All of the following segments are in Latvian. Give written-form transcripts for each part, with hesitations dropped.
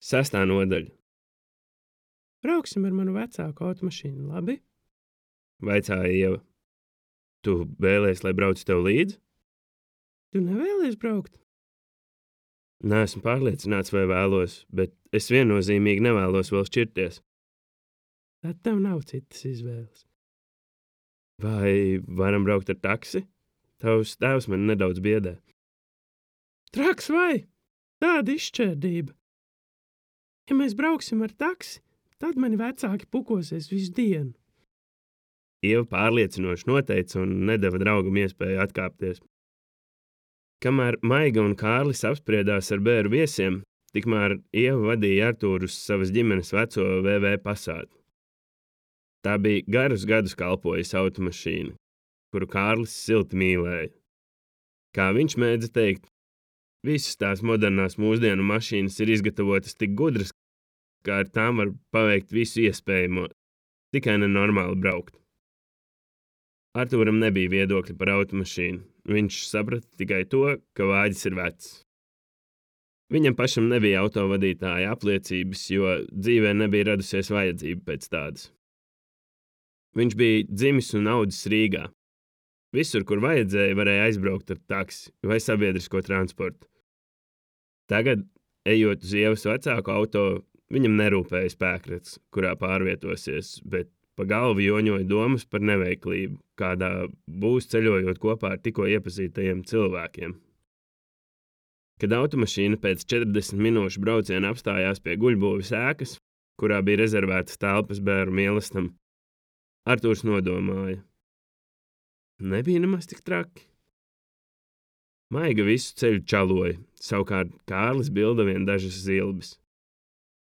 Sestā nodaļa. Brauksim ar manu vecāku automašīnu, labi? Vaicāja Ieva. Tu vēlies, lai braucu tev līdzi? Tu nevēlies braukt? Neesmu pārliecināts, vai vēlos, bet es viennozīmīgi nevēlos vēl šķirties. Tad tev nav citas izvēles. Vai varam braukt ar taksi? Tavs tēvs man nedaudz biedē. Traks vai? Tāda izšķērdība. Ja mēs brauksim ar taksi, tad mani vecāki pukosies visu dienu. Ieva pārliecinoši noteica un nedeva draugam iespēju atkāpties. Kamēr Maiga un Kārlis apspriedās ar bēru viesiem, tikmēr Ieva vadīja Artūru uz savas ģimenes veco VV Passātu. Tā bija garus gadus kalpojusi automašīna, kuru Kārlis silti mīlēja. Kā viņš mēdza teikt, visas tās modernās mūsdienu mašīnas ir izgatavotas tik gudras, kā ar tām var paveikt visu iespējamo, tikai nenormāli braukt. Artūram nebija viedokļa par automašīnu. Viņš saprata tikai to, ka vāģis ir vecs. Viņam pašam nebija autovadītāja apliecības, jo dzīvē nebija radusies vajadzība pēc tādas. Viņš bija dzimis un audzis Rīgā. Visur, kur vajadzēja, varēja aizbraukt ar taksi vai sabiedrisko transportu. Tagad, ejot uz Ievas vecāku auto, viņam nerūpēja spēkrats, kurā pārvietosies, bet pa galvu joņoja domas par neveiklību, kādā būs ceļojot kopā ar tikko iepazītajiem cilvēkiem. Kad automašīna pēc 40 minūšu brauciena apstājās pie guļbūves ēkas, kurā bija rezervētas telpas bēru mīlestam, Artūrs nodomāja. Nebija nemaz tik traki. Maiga visu ceļu čaloja, savukārt Kārlis bilda vien dažas zilbes.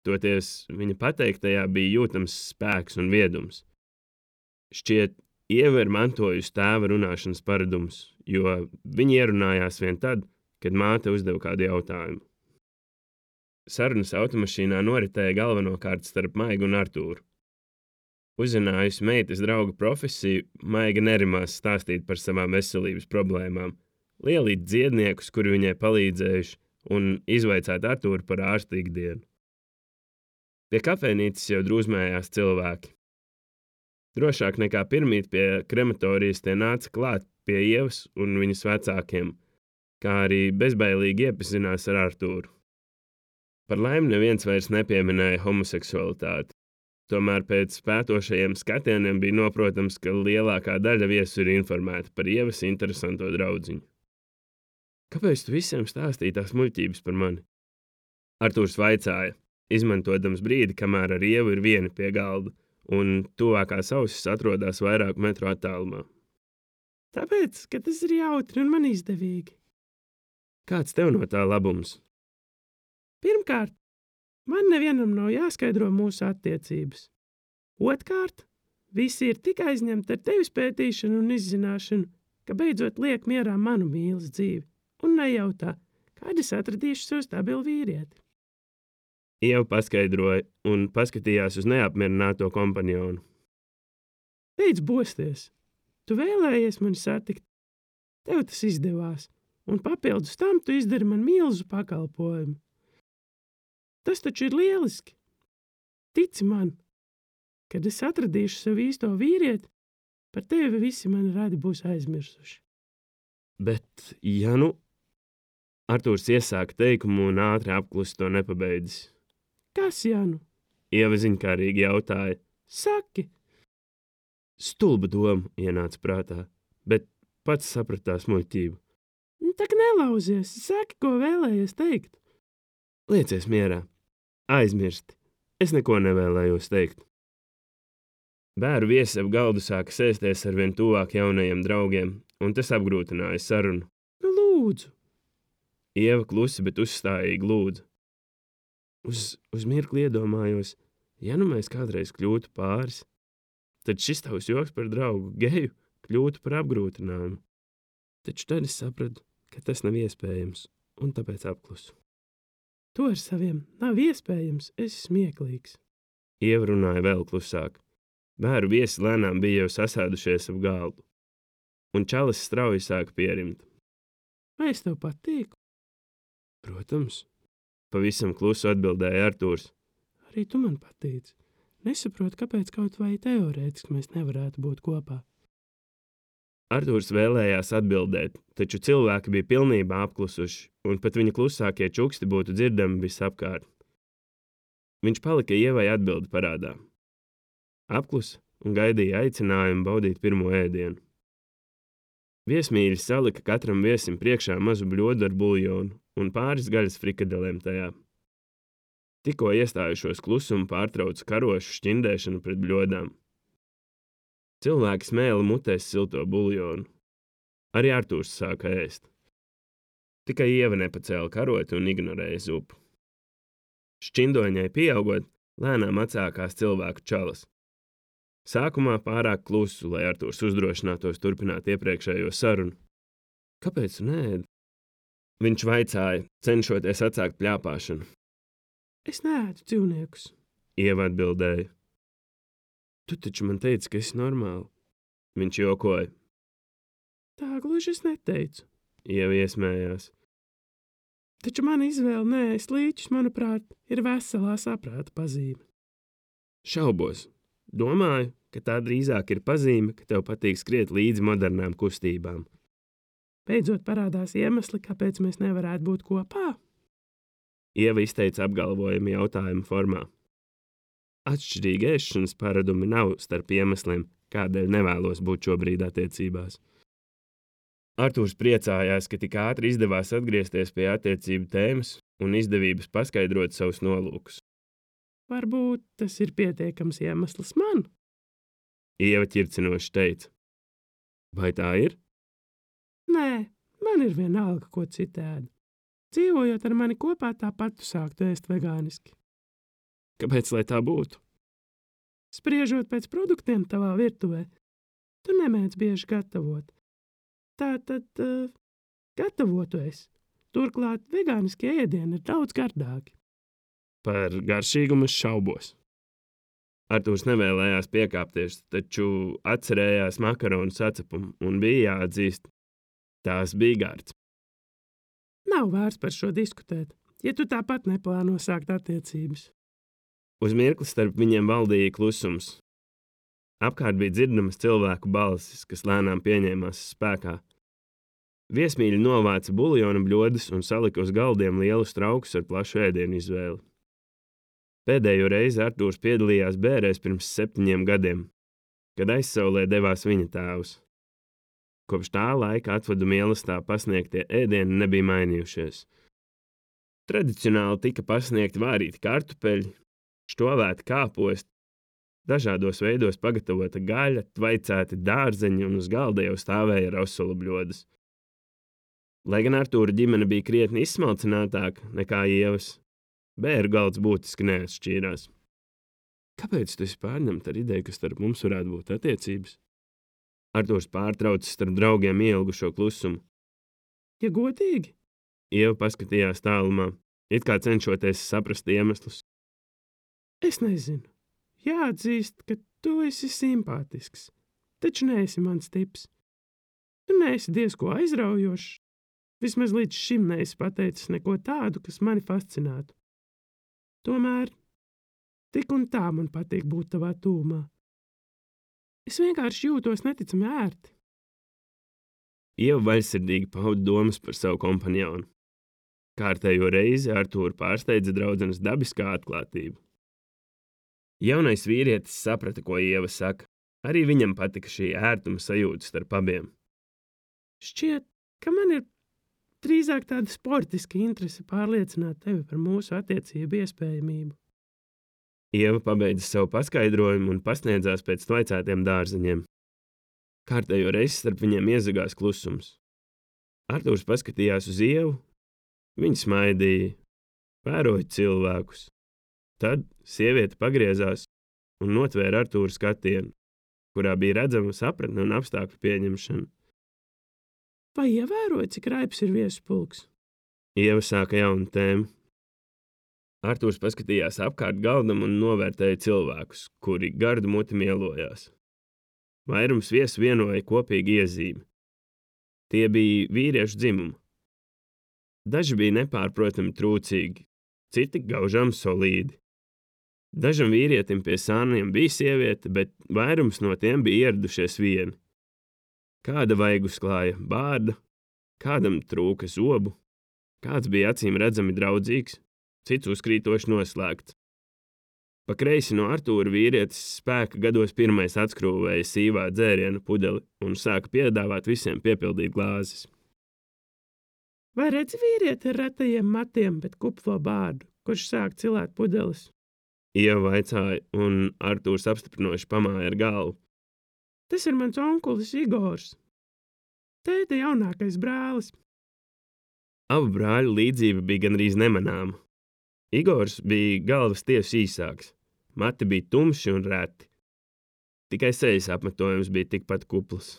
Toties viņa pateiktajā bija jūtams spēks un viedums. Šķiet, Ieva ir mantojusi tēva runāšanas paradumus, jo viņi ierunājās vien tad, kad māte uzdeva kādu jautājumu. Sarunas automašīnā noritēja galvenokārt starp Maigu un Artūru. Uzzinājusi meitas drauga profesiju, Maiga nerimās stāstīt par savām veselības problēmām, lielīt dziedniekus, kuri viņai palīdzējuši, un izvaicāt Artūru par ārsta ikdienu. Pie kafejnīcas jau drūzmējās cilvēki. Drošāk nekā pirmīt pie krematorijas tie nāca klāt pie Ievas un viņas vecākiem, kā arī bezbailīgi iepazinās ar Artūru. Par laimi neviens vairs nepieminēja homoseksualitāti. Tomēr pēc pētošajiem skatieniem bija noprotams, ka lielākā daļa viesu ir informēta par Ievas interesanto draudziņu. Kāpēc tu visiem stāstīji tās muļķības par mani? Artūrs vaicāja, izmantojams brīdi, kamēr ar Ievu ir vieni pie galda, un tuvākās ausis atrodas vairāku metru attālumā. Tāpēc, ka tas ir jautri un man izdevīgi. Kāds tev no tā labums? Pirmkārt, man nevienam nav jāskaidro mūsu attiecības. Otkārt, visi ir tik aizņemti ar tevis pētīšanu un izzināšanu, ka beidzot liek mierā manu mīlas dzīvi un nejautā, kad es atradīšu sev stabilu vīrieti. Ieva paskaidroja un paskatījās uz neapmierināto kompanionu. Beidz bosties! Tu vēlējies mani satikt. Tev tas izdevās, un papildus tam tu izdari man milzu pakalpojumu. Tas taču ir lieliski. Tici man, kad es atradīšu sev īsto vīrieti, par tevi visi mani radi būs aizmirsuši. Bet, ja nu... Artūrs iesāka teikumu un ātri apklusi to nepabeidzis. Kas, ja nu? Ieva ziņkārīgi jautāja. Saki! Stulba doma ienāca prātā, bet pats sapratās muļķību. Tak nelauzies, saki, ko vēlējies teikt. Liecies mierā. Aizmirsti. Es neko nevēlējos teikt. Bēru viesi ap galdu sāka sēsties ar vien tuvāk jaunajiem draugiem, un tas apgrūtināja sarunu. Nu, lūdzu! Ieva klusi, bet uzstājīgi lūdza. Uz mirkli iedomājos, ja nu mēs kādreiz kļūtu pāris, tad šis tavs joks par draugu geju kļūtu par apgrūtinājumu. Taču tad es sapratu, ka tas nav iespējams, un tāpēc apklusu. To ar saviem nav iespējams, esi smieklīgs. Ieva runāja vēl klusāk. Bēru viesi lēnām bija jau sasēdušies ap galdu, un čalis strauji sāka pierimt. Vai es tev patīku? Protams. pavisam klusu atbildēja Artūrs. Arī tu man patīc. Nesaprotu, kāpēc kaut vai teorētiski mēs nevarētu būt kopā. Artūrs vēlējās atbildēt, taču cilvēki bija pilnībā apklusuši, un pat viņa klusākie čuksti būtu dzirdami visapkārt. Viņš palika Ievai atbildi parādā. Apklusa un gaidīja aicinājumu baudīt pirmo ēdienu. Viesmīļi salika katram viesim priekšā mazu bļodu ar buljonu un pāris gaļas frikadelēm tajā. Tikko iestājušos klusumu pārtrauca karošu šķindēšanu pret bļodām. Cilvēki smēla mutēs silto buljonu. Arī Artūrs sāka ēst. Tikai Ieva nepacēla karoti un ignorēja zupu. Šķindoņai pieaugot, lēnām atsākās cilvēku čalas. Sākumā pārāk klusu, lai Artūrs uzdrošinātos turpināt iepriekšējo sarunu. Kāpēc tu neēdi? Viņš vaicāja, cenšoties atsākt pļāpāšanu. Es neēdu dzīvniekus. Ieva atbildēja. Tu taču man teici, ka esi normāli. Viņš jokoja. Tā gluži es neteicu. Ieva iesmējās. Taču mana izvēle neēst līķus, manuprāt, ir veselā saprāta pazīme. Šaubos. Domāju, ka tā drīzāk ir pazīme, ka tev patīk skriet līdzi modernām kustībām. Beidzot parādās iemesli, kāpēc mēs nevarētu būt kopā. Ieva izteica apgalvojumu jautājumu formā. Atšķirīgi ēšanas paradumi nav starp iemesliem, kādēļ nevēlos būt šobrīd attiecībās. Artūrs priecājās, ka tik ātri izdevās atgriezties pie attiecību tēmas un izdevības paskaidrot savus nolūkus. Varbūt tas ir pietiekams iemesls man? Ieva ķircinoši teica. Vai tā ir? Nē, man ir vienalga, ko citi ēd. Dzīvojot ar mani kopā, tāpat tu sāktu ēst vegāniski. Kāpēc, lai tā būtu? Spriežot pēc produktiem tavā virtuvē, tu nemēdz bieži gatavot. Tātad gatavotu es. Turklāt vegāniskie ēdieni ir daudz gardāki. Par garšīgumu es šaubos. Artūrs nevēlējās piekāpties, taču atcerējās makaronu sacepumu un bija jāatzīst, tās bija gards. Nav vērts par šo diskutēt, ja tu tāpat neplāno sākt attiecības. Uz mirkli starp viņiem valdīja klusums. Apkārt bija dzirdamas cilvēku balsis, kas lēnām pieņēmās spēkā. Viesmīļi novāca buljona bļodas un salika uz galdiem lielus traukus ar plašu ēdienu izvēli. Pēdējo reizi Artūrs piedalījās bērēs pirms 7 gadiem, kad aizsaulē devās viņa tēvs. Kopš tā laika atvadu mīlestībā pasniegtie ēdieni nebija mainījušies. Tradicionāli tika pasniegti vārīti kartupeļi, štovēti kāposti, dažādos veidos pagatavota gaļa, tvaicēti dārzeņi un uz galda jau stāvēja rosolu bļodas. Lai gan Artūra ģimene bija krietni izsmalcinātāka nekā Ievas, bēru galds būtiski neatšķīrās. Kāpēc tu esi pārņemta ar ideju, ka starp mums varētu būt attiecības? Artūrs pārtraucis starp draugiem ielgušo klusumu. Ja godīgi? Ieva paskatījās tālumā, it kā cenšoties saprast iemeslus. Es nezinu. Jāatzīst, ka tu esi simpātisks, taču neesi mans tips. Tu neesi diezko aizraujošs. Vismaz līdz šim neesi pateicis neko tādu, kas mani fascinētu. Tomēr tik un tā man patīk būt tavā tūmā. Es vienkārši jūtos neticami ērti. Ieva vaļsirdīgi pauda domas par savu kompanjonu. Kārtējo reizi Artūru pārsteidza draudzenes dabiskā atklātība. Jaunais vīrietis saprata, ko Ieva saka. Arī viņam patika šī ērtuma sajūta starp abiem. Šķiet, ka man ir drīzāk tāda sportiska interese pārliecināt tevi par mūsu attiecību iespējamību. Ieva pabeidza savu paskaidrojumu un pasniedzās pēc tvaicētiem dārzeņiem. Kārtējo reizi starp viņiem iezagās klusums. Artūrs paskatījās uz Ievu, viņa smaidīja, vēroja cilvēkus. Tad sieviete pagriezās un notvēra Artūra skatienu, kurā bija redzama sapratne un apstākļu pieņemšana. Vai ievēroji, cik raips ir viesupulks? Ieva sāka jaunu tēmu. Artūrs paskatījās apkārt galdam un novērtēja cilvēkus, kuri gardu muti mielojās. Vairums viesu vienoja kopīgi iezīmi. Tie bija vīriešu dzimuma. Daži bija nepārprotami trūcīgi, citi gaužām solīdi. Dažam vīrietim pie sāniem bija sieviete, bet vairums no tiem bija ieradušies vieni. Kāda vaigu sklāja bārda, kādam trūka zobu, kāds bija acīm redzami draudzīgs, cits uzkrītoši noslēgts. Pa kreisi no Artūra vīrietis spēka gados pirmais atskrūvēja sīvā dzēriena pudeli un sāka piedāvāt visiem piepildīt glāzes. Vai redzi vīrieti ar retajiem matiem, bet kuplo bārdu, kurš sāk cilāt pudeles? Ieva vaicāja, un Artūrs apstiprinoši pamāja ar galvu. Tas ir mans onkulis Igors. Tēta jaunākais brālis. Abu brāļu līdzība bija gandrīz nemanāma. Igors bija galvas tievs īsāks, mati bija tumši un reti. Tikai sejas apmetojums bija tikpat kupls.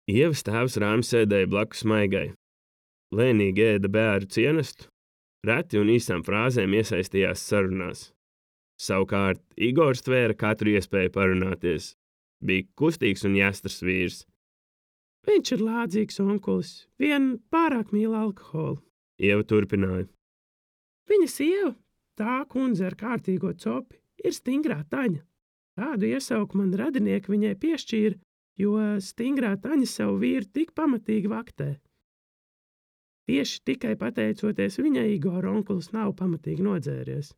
Ievas tēvs Rāmi sēdēja blakus Maigai. Lēnīgi ēda bēru cienestu, reti un īsām frāzēm iesaistījās sarunās. Savukārt Igors tvēra katru iespēju parunāties. Bija kustīgs un jāstrs vīrs. Viņš ir lādzīgs onkulis, vien pārāk mīl alkoholu. Ieva turpināja. Viņa sieva, tā kundze ar kārtīgo copi, ir stingrā Taņa. Tādu iesauku man radinieki viņai piešķīra, jo stingrā Taņa savu vīru tik pamatīgi vaktē. Tieši tikai pateicoties viņai, Igora onkulis nav pamatīgi nodzēries.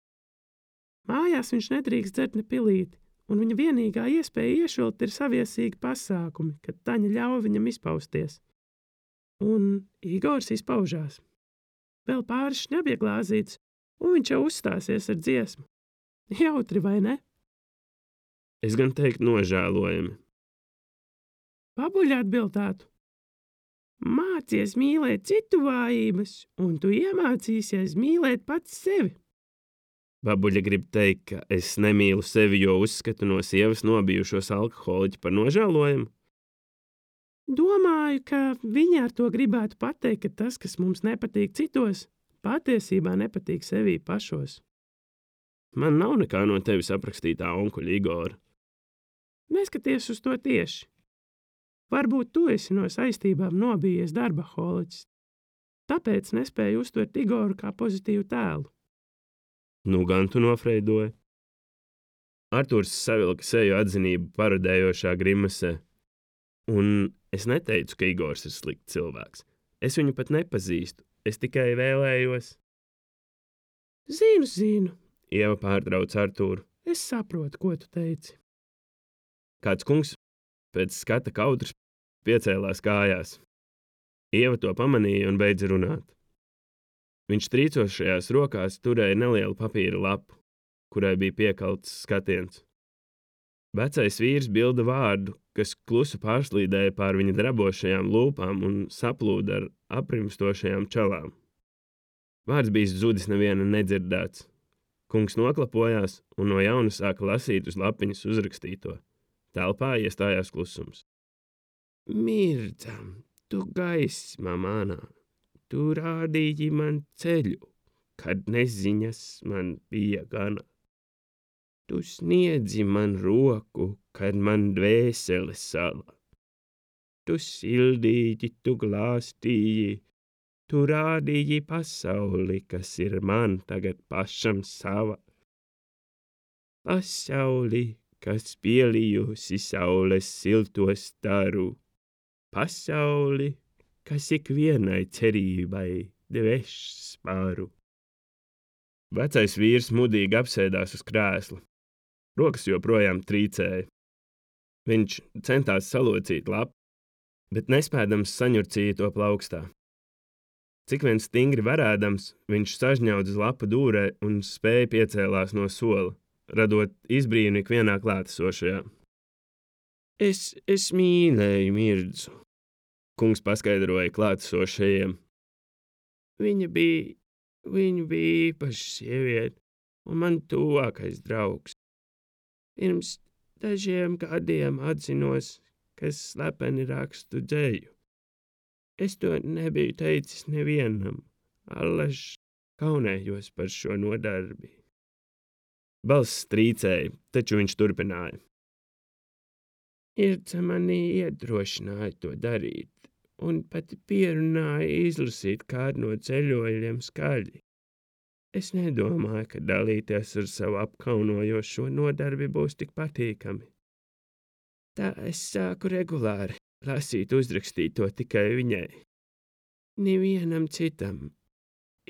Mājās viņš nedrīkst dzert ne pilīti, un viņa vienīgā iespēja iešvilpt ir saviesīgi pasākumi, kad Taņa ļauj viņam izpausties. Un Igors izpaužās. Vēl pāris šņabja glāzītes, un viņš jau uzstāsies ar dziesmu. Jautri, vai ne? Es gan teiktu nožēlojami. Pabuļi atbildētu. Mācies mīlēt citu vājības, un tu iemācīsies mīlēt pats sevi. Babuļa grib teikt, ka es nemīlu sevi, jo uzskatu no sievas nobijušos alkoholiķi par nožēlojumu. Domāju, ka viņi ar to gribētu pateikt, ka tas, kas mums nepatīk citos, patiesībā nepatīk sevī pašos. Man nav nekā no tevis aprakstītā onkuļa Igora. Neskaties uz to tieši. Varbūt tu esi no saistībām nobijies darbaholiķis, tāpēc nespēju uztvert Igoru kā pozitīvu tēlu. Nu gan tu nofreidoji. Artūrs savilka seju atzinību parodējošā grimasē. Un es neteicu, ka Igors ir slikts cilvēks. Es viņu pat nepazīstu, es tikai vēlējos. Zinu, Ieva pārtrauc Artūru. Es saprotu, ko tu teici. Kāds kungs pēc skata kautras piecēlās kājās. Ieva to pamanīja un beidza runāt. Viņš trīcošajās rokās turēja nelielu papīra lapu, kurai bija piekalts skatiens. Vecais vīrs bilda vārdu, kas klusu pārslīdēja pār viņa drabošajām lūpām un saplūda ar aprimstošajām čalām. Vārds bija zudis neviena nedzirdēts. Kungs noklapojās un no jauna sāka lasīt uz lapiņas uzrakstīto. Telpā iestājās klusums. Mirdzam, tu gaisma manā, tu rādīji man ceļu, kad neziņas man bija gana. Tu sniedzi man roku, kad man dvēsele sala. Tu sildīji, tu glāstīji, tu rādīji pasauli, kas ir man tagad pašam sava. Pasauli, kas pielijusi saules silto staru. Pasauli, kas ikvienai cerībai dveš spāru. Vecais vīrs mudīgi apsēdās uz krēsla. Rokas joprojām trīcēja. Viņš centās salocīt lapu, bet nespēdams saņurcīja to plaukstā. Cik vien stingri varēdams, viņš sažņaudz lapu dūrē un spēja piecēlās no sola, radot izbrīnu ikvienā klātesošajā. Es mīlēju Mirdzu, kungs paskaidroja klātesošajiem. Viņa bija īpaša sieviete un man tuvākais draugs. Pirms dažiem gadiem atzinos, ka slepeni rakstu dzeju. Es to nebiju teicis nevienam, allaž kaunējos par šo nodarbi. Balss trīcēja, taču viņš turpināja. Irdze mani iedrošināja to darīt, un pat pierunāja izlasīt kādu no ceļojumiem skaļi. Es nedomāju, ka dalīties ar savu apkaunojošo nodarbi būs tik patīkami. Tā es sāku regulāri lasīt uzrakstīto tikai viņai. Nevienam citam.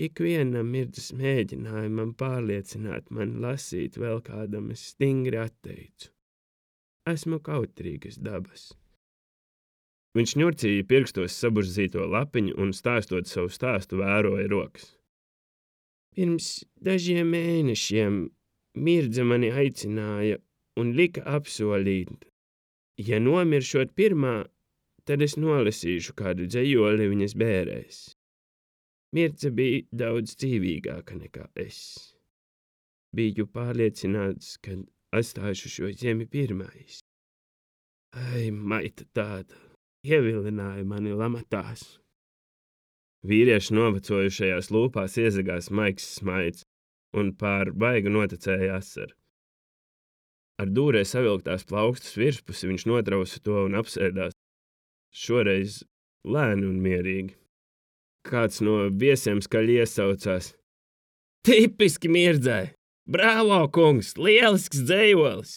Ikvienam mirdzes mēģinājumam pārliecināt mani lasīt vēl kādam es stingri atteicu. Esmu kautrīgas dabas. Viņš ņurcīja pirkstos saburzīto lapiņu un stāstot savu stāstu vēroja rokas. Pirms dažiem mēnešiem mirdze mani aicināja un lika apsolīt, ja nomiršot pirmā, tad es nolasīšu kādu dzejoli viņas bērēs. Mirdze bija daudz dzīvīgāka nekā es. Biju pārliecināts, ka atstāšu šo zemi pirmais. Ai, maita tāda, ievilināja mani lamatās. Vīrieša novecojušajās lūpās iezagās maigs smaids, un pār baigu noticēja asara. Ar dūrē savilktās plaukstas virspusi viņš notrausa to un apsēdās. Šoreiz lēni un mierīgi. Kāds no viesiem skaļi iesaucās. Tipiski Mirdzai! Bravo, kungs! Lielisks dzejolis!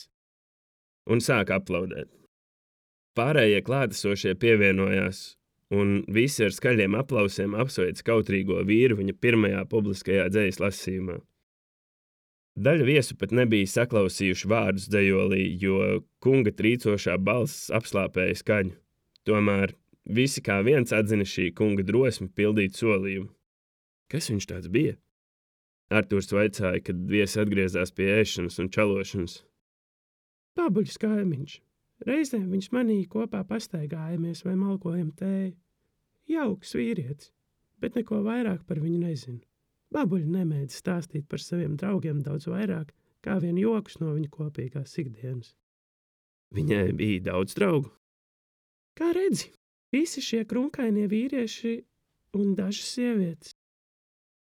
Un sāka aplaudēt. Pārējie klātesošie pievienojās, un visi ar skaļiem aplausiem apsveic kautrīgo vīru viņa pirmajā publiskajā dzejas lasījumā. Daļa viesu pat nebija saklausījuši vārdus dzejolī, jo kunga trīcošā balss apslāpēja skaņu. Tomēr visi kā viens atzina šī kunga drosmi pildīt solījumu. Kas viņš tāds bija? Artūrs vaicāja, kad viesi atgriezās pie ēšanas un čalošanas. Babuļs kaimiņš. Reizēm viņš manī kopā pastaigājamies vai malkojam tēju. Jauks vīrietis, bet neko vairāk par viņu nezinu. Babuļi nemēdz stāstīt par saviem draugiem daudz vairāk, kā vien jokus no viņa kopīgās ikdienas. Viņai bija daudz draugu? Kā redzi, visi šie krunkainie vīrieši un dažas sievietes.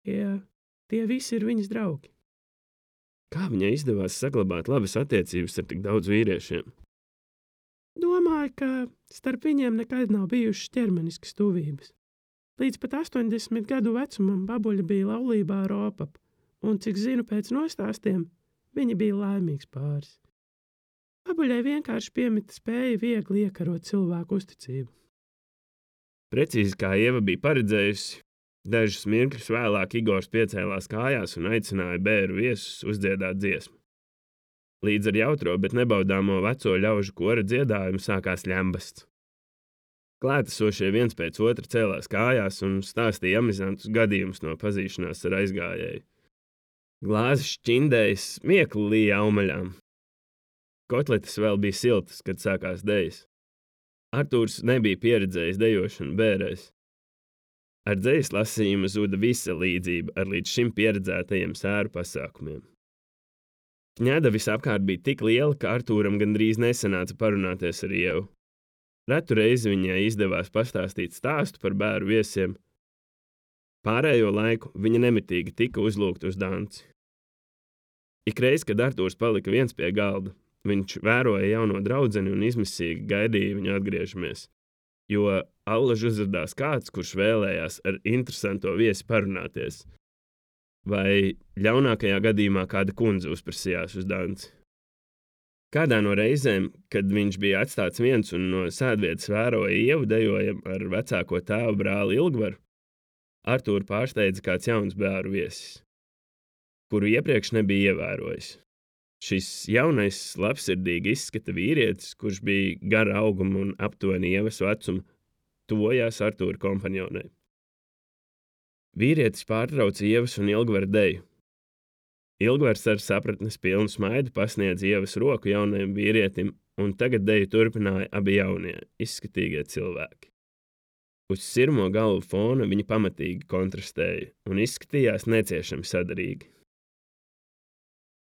Tie visi ir viņas draugi. Kā viņai izdevās saglabāt labas attiecības ar tik daudz vīriešiem? Domāju, ka starp viņiem nekad nav bijušas ķermeniskas tuvības. Līdz pat 80 gadu vecumam babuļa bija laulībā ar opapu, un, cik zinu pēc nostāstiem, viņi bija laimīgs pāris. Babuļai vienkārši piemita spēja viegli iekarot cilvēku uzticību. Precīzi kā Ieva bija paredzējusi, dažus mirkļus vēlāk Igors piecēlās kājās un aicināja bēru viesus uzdziedāt dziesmu. Līdz ar jautro, bet nebaudāmo veco ļaužu kora dziedājumu sākās ļambasts. Klātesošie viens pēc otra cēlās kājās un stāstīja amizantus gadījumus no pazīšanās ar aizgājēju. Glāzes šķindējas smiekli līja aumaļām. Kotletes vēl bija siltas, kad sākās dejas. Artūrs nebija pieredzējis dejošanu bērēs. Ar dzejas lasījumu zuda visa līdzība ar līdz šim pieredzētajiem sēru pasākumiem. Ņēda visapkārt bija tik liela, ka Artūram gandrīz nesanāca parunāties ar Ievu. Retu reizi viņai izdevās pastāstīt stāstu par bēru viesiem. Pārējo laiku viņa nemitīgi tika uzlūgta uz danci. Ikreiz, kad Artūrs palika viens pie galda, viņš vēroja jauno draudzeni un izmisīgi gaidīja viņu atgriežamies, jo allaž uzradās kāds, kurš vēlējās ar interesanto viesi parunāties. Vai ļaunākajā gadījumā kāda kundze uzprasījās uz danci. Kādā no reizēm, kad viņš bija atstāts viens un no sēdvietas vēroja Ievu dejojam ar vecāko tēvu brāli Ilgvaru, Artūru pārsteidza kāds jauns bēru viesis, kuru iepriekš nebija ievērojis. Šis jaunais, labsirdīgi izskata vīrietis, kurš bija gara auguma un aptuveni Ievas vecuma, tuvojās Artūra kompanionai. Vīrietis pārtrauca Ievas un Ilgvara deju. Ilgvars ar sapratnes pilnu smaidu pasniedz Ievas roku jaunajam vīrietim, un tagad deju turpināja abi jaunie, izskatīgie cilvēki. Uz sirmo galvu fona viņi pamatīgi kontrastēja un izskatījās neciešami sadarīgi.